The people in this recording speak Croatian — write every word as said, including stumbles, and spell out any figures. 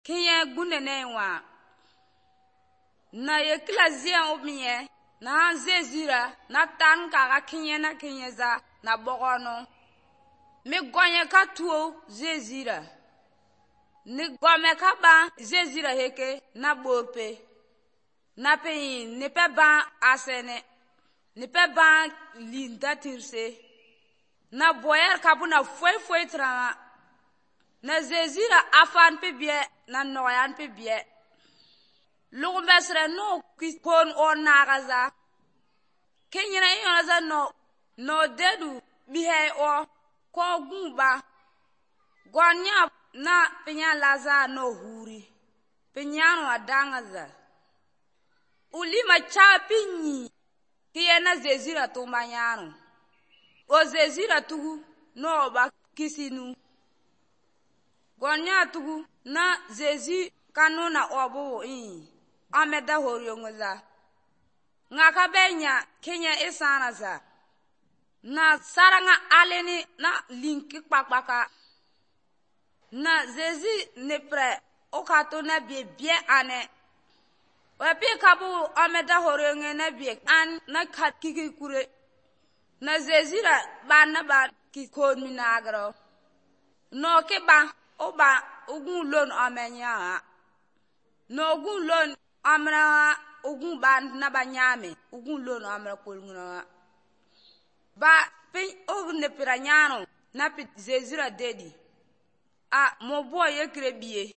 Kinye gunene wa. Na ye klazien obmiye. Na zezira. Na tan kaka kinye na kinye za. Na bogono. Mi gonye ka tuo zezira. Ni gome ka ba zezira heke na bope. Na pe ni pe ba asene. Ni pe ba linda tirse. Na boyer kabu na foi foi tra. Na zezira afan pe bie na noyan pe bie. Lugu mesre no ki pon on nagaza. Kenyina yon za no no dedu bihe o ko gumba. Gwanya na penya laza no huri. Penyano adangaza. Ulima cha pinyi. Kiye na zezira tumbanyano. O zezira tugu no ba kisinu. Gwanya tugu na zezi kanuna obo in. Ameda horiongoza. Ngaka benya Kenya isana za. Na saranga aleni na linki kpakpaka. Na zezi nepre okato na bie bie ane. Wepi kabu ameda horionge na bie an na kat kiki kure. Na zezira ba na ba kikon minagro. No ke ba oba ugun lon amenya. No ugun lon amra ugun ban na ba nyame. Ugun lon amra kolnguna. Ba pin ogun ne piranyano na pit zezira dedi. A mo boy ye krebie.